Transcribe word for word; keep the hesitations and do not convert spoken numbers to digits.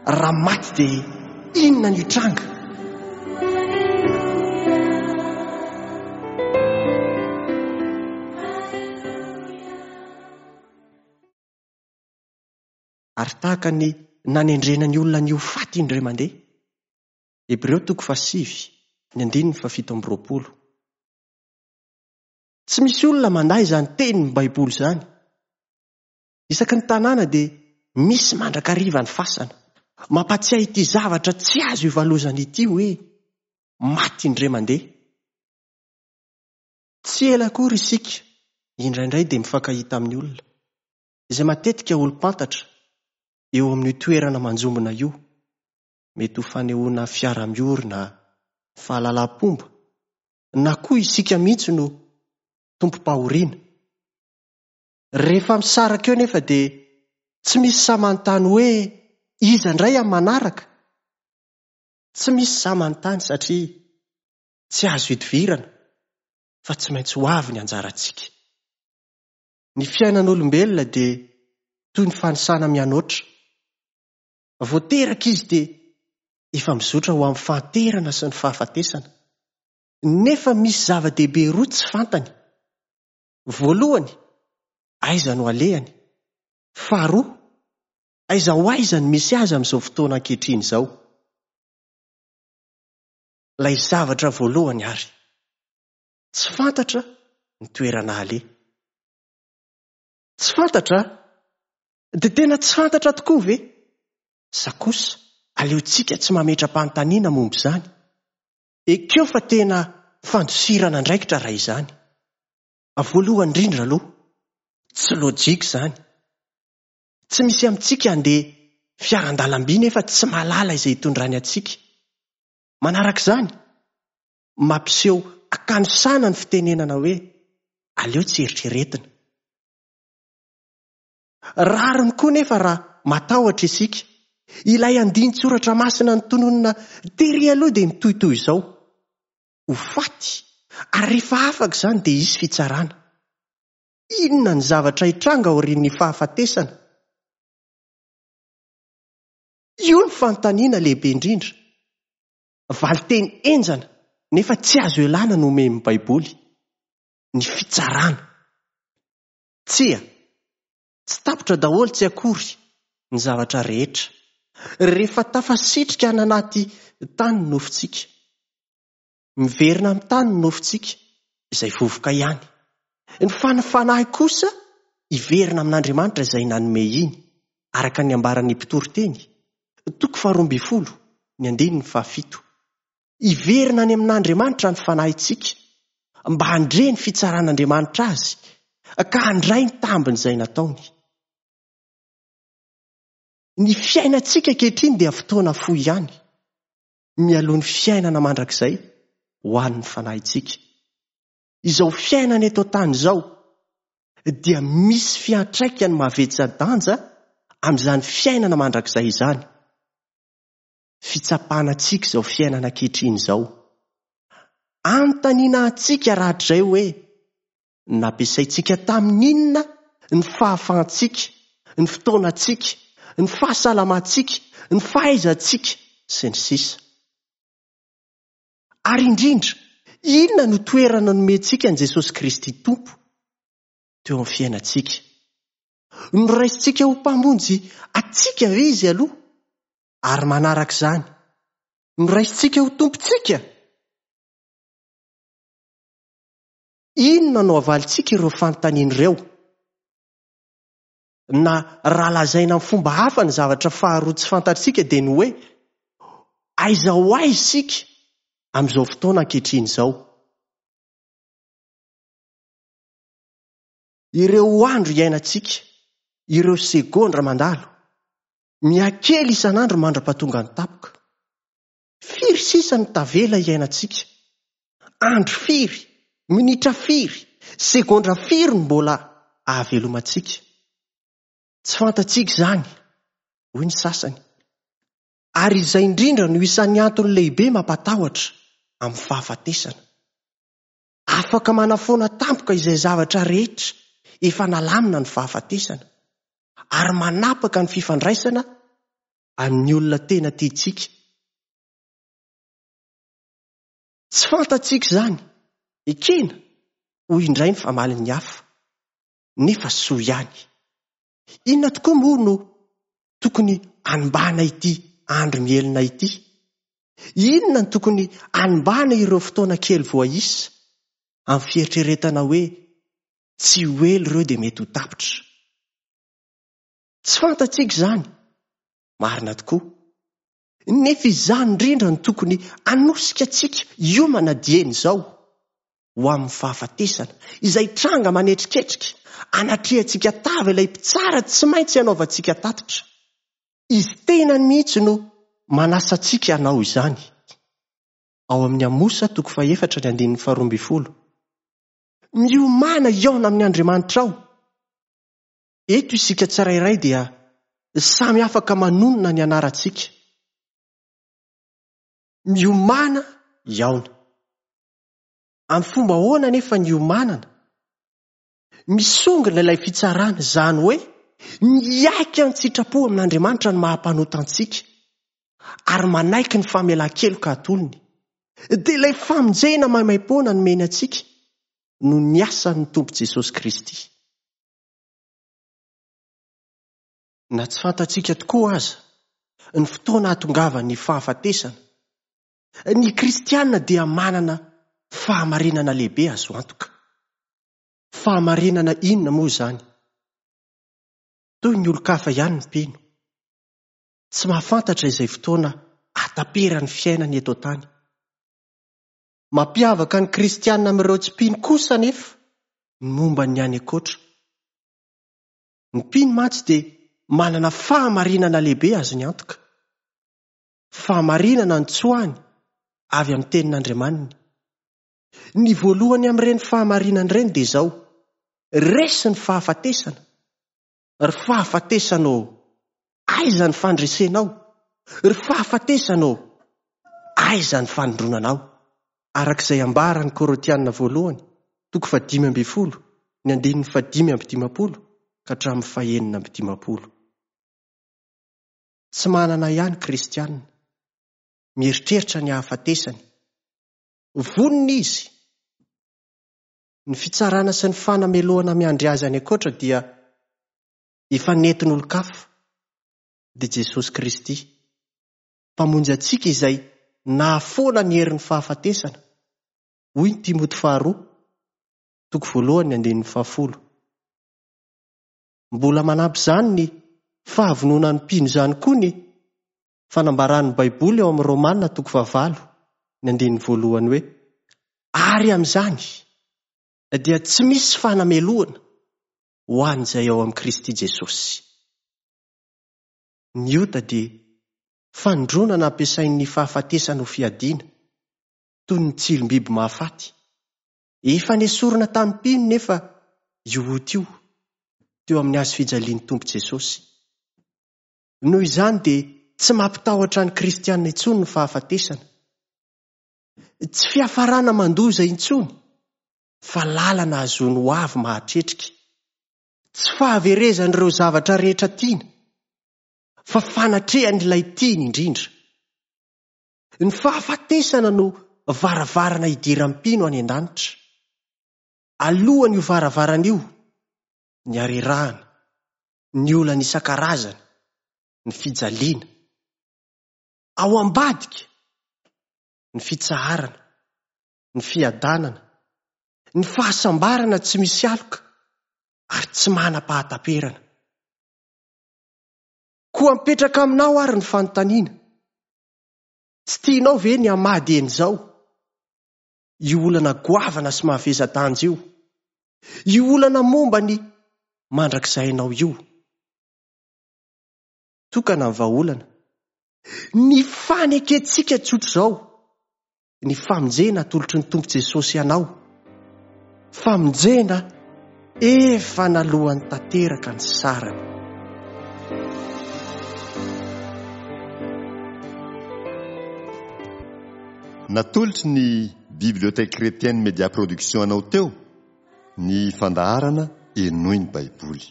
Raha maty dia inona no hitranga? Ary tahaka ny nanendrena ny olona ny ho faty indray mandeha. Hebreo toko fahasivy, ny andininy fahafito amby roapolo. Tsy misy olona mandà izany tenin'ny Baiboly izany. Isaky ny tanàna dia misy mandrakariva ny fasana. Mampatsiahy ity zavatra tsy azo ivalozana ity hoe maty indray mandeha. Tsy ela akory isika indraindray dia mifankahita amin'ny olona, izay matetika olom-pantatra eo amin'io toerana manjombona io. Mety ho fanehoana fiara-miory na fahalalam-pomba, na koa isika mihitsy no tompom-pahoriana. Rehefa misaraka eo nefa dia tsy misy sahy manontany hoe iza indray amin'ny manaraka. Tsy misy sahy manontany satria tsy azo idivirana fa tsy maintsy ho avy ny anjarantsika. Ny fiainan'olombelona dia toy ny fanisana mianoatra. Vao teraka izy dia efa mizotra ho amin'ny fahanterana sy ny fahafatesana. Nefa misy zava-dehibe roa tsy fantany. Voalohany, aiza no alehany? Faharoa, aiza ho aiza no misy azy amin'izao fotoana ankehitriny izao? Ilay zavatra voalohany ary, tsy fantatra ny toerana aleha. Tsy fantatra? Dia tena tsy fantatra tokoa ve? Sa kosa, aleontsika tsy mametra-panontaniana momba izany. Ekeo fa tena fandosirana andraikitra raha izany. Voalohany indrindra aloha, tsy lojika izany. Tsy misy amintsika handeha fiaran-dalamby nefa tsy mahalala izay hitondrany antsika. Manaraka izany, mampiseho akanosana ny fitenenana hoe aleo tsy eritreretina. Rariny koa nefa raha matahotra isika. Ilay andinin-tsoratra masina notononina tery aloha dia mitohitohy izao. Ho faty, ary rehefa afaka izany dia hisy fitsarana. Inona ny zavatra hitranga aorian'ny fahafatesana? Io ny fanontaniana lehibe indrindra. Valinteny henjana nefa tsy azo ialana no omen'ny Baiboly. Ny fitsarana. Tsia, tsy tapitra daholo tsy akory ny zavatra rehetra. Rehefa tafasitrika any anaty tany ny nofontsika. Miverina amin'ny tany ny nofontsika, izay vovoka ihany. Ny fanahy kosa hiverina amin'Andriamanitra izay nanome iny, araka ny ambaran'ny mpitoriteny, toko faharoa ambin'ny folo, ny andininy fahafito. Hiverina any amin'Andriamanitra ny fanahintsika, mba handre ny fitsaran'Andriamanitra azy, ka handray ny tambin'izay nataony. Ny fiainantsika ankehitriny dia fotoana fohy ihany, mialoha ny fiainana mandrakizay ho an'ny fanahintsika. Izao fiainana eto an-tany izao dia misy fiantraikany mavetsa-danja amin'izany fiainana mandrakizay izany. Fitsapana antsika izao fiainana ankehitriny izao. Anontaniana antsika rahatrizay hoe nampiasaintsika tamin'inona ny fahafahantsika, ny fotoanantsika, ny fahasalamantsika, ny fahaizantsika sy ny sisa. Ary indrindra, inona no toerana nomentsika an'i Jesosy Kristy Tompo teo amin'ny fiainantsika? Noraisintsika ho mpamonjy antsika ve izy aloha? Ary manaraka izany, noraisintsika ho tompontsika? Inona no avalintsika ireo fanontaniana ireo? Na raha lazaina amin'ny fomba hafa ny zavatra faharoa tsy fantatsika dia ny hoe aiza ho aiza isika amin'izao fotoana ankehitriny izao. Ireo andro iainantsika, ireo segondra mandalo, mihakely isan'andro mandra-pahatonga ny tapoka. Firy sisa no tavela iainantsika? Andro firy, minitra firy, segondra firy no mbola ahavelomantsika? Tsy fantatsika izany, hoy ny sasany. Ary izay indrindra no isan'ny antony lehibe mampatahotra amin'ny fahafatesana. Afaka manafoana tampoka izay zavatra rehetra efa nalamina ny fahafatesana, ary manapaka ny fifandraisana amin'ny olona tena tiantsika. Tsy fantatsika izany, ekena, hoy indray ny famalin'ny hafa, nefa soa ihany. Inona tokoa moa no tokony hanimbana ity andro mihelina ity? Inona no tokony hanimbana ireo fotoana kely voaisa amin'ny fieritreretana hoe tsy ho ela ireo dia mety ho tapitra? Tsy fantatsika izany, marina tokoa. Nefa izany indrindra no tokony hanosika antsika hiomana dieny izao ho amin'ny fahafatesana, izay tranga manetriketrika, anatrehantsika tava ilay mpitsara tsy maintsy hanaovantsika tatitra. Izy tenany mihitsy no manasa antsika hanao izany. Ao amin'ny Amosa toko fahefatra ny andininy faharoa ambin'ny folo. Miomàna hihaona amin'ny Andriamanitrao. Eto isika tsirairay dia samy afaka manonona ny anarantsika. Miomàna hihaona. Amin'ny fomba ahoana anefa ny hiomanana? Misongona ilay fitsarana, izany hoe miaiky an-tsitrapo amin'Andriamanitra ny maha-mpanota antsika ary manaiky ny famelan-keloka atolony. Dia ilay famonjena maimaimpoana nomeny antsika no niasan'ny Tompo Jesosy Kristy. Na tsy fantatsika tokoa aza ny fotoana hahatongavan'ny fahafatesana, ny kristiana dia manana fahamarinana lehibe azo antoka. Fahamarinana inona moa izany? Toy ny olon-kafa ihany ny mpino. Tsy mahafantatra izay fotoana hataperan'ny fiainany eto an-tany. Mampiavaka ny kristiana amin'ireo tsy mpino kosa anefa ny momba ny any ankoatra. Ny mpino mantsy dia manana fahamarinana lehibe azony antoka. Fahamarinana notsoahiny avy amin'ny tenin'Andriamaniny. Ny voalohany amin'ireny fahamarinana ireny dia izao: resy ny fahafatesana. Ry fahafatesana ô, aiza ny fandresenao? Ry fahafatesana ô, aiza ny fanindronanao? Araka izay ambaran'ny Korintiana voalohany, toko fahadimy ambin'ny folo, ny andininy fahadimy amby dimampolo ka hatramin'ny fahenina amby dimampolo. Tsy manana ihany kristiana, mieritreritra ny hahafatesany. Vonona izy. Ny fitsarana sy ny fanamelohana miandry azy any ankoatra dia efa nentin'olon-kafa, dia Jesosy Kristy, Mpamonjy antsika izay nahafoana ny herin'ny fahafatesana, hoy ny Timoty faharoa, toko voalohany ny andininy fahafolo. Mbola manampy izany ny fahavononan'ny mpino izany koa ny fanambaran'ny Baiboly ao amin'ny Romana toko fahavalo, ny andininy voalohany hoe: ary amin'izany dia tsy misy fanamelohana ho an'izay ao amin'i Kristy Jesosy. Ny ota dia fanindronana ampiasain'ny fahafatesana ho fiadiana, toy ny tsilom-biby mahafaty. Efa nesorina tamin'ny mpino nefa io ota io teo amin'ny hazo fijalian'ny Tompo Jesosy. Noho izany dia tsy mampitahotra ny kristiana intsony ny fahafatesana. Tsy fiafarana mandoza intsony, fa lalana ahazoany ho avy mahatretrika. Tsy fahaverezan'ireo zavatra rehetra tiana, fa fanatrehan'ilay tiany indrindra. Ny fahafatesana no varavarana hidiran'ny mpino any an-danitra. Alohan'io varavarana io, ny harerahana, ny olana isan-karazany, ny fijaliana. Ao ambadika, ny fitsaharana, ny fiadanana, ny fahasambarana tsy misy aloka ary tsy manam-pahataperana. Koa mipetraka aminao ary ny fanontaniana: tsy tianao ve ny hamady eny izao? Io olana goavana sy mahavesa-danja io, io olana momba ny mandrakizay anao io. Tokana ny vahaolana, ny fanekentsika tsotra izao, ny famonjena atolotry ny Tompo Jesosy anao. Famonjena efa nalohan'ny tanteraka ny sarany. Natolotry ny Bibliothèque Chrétienne Média Production anao teo ny fandaharana Henoy ny Baiboly.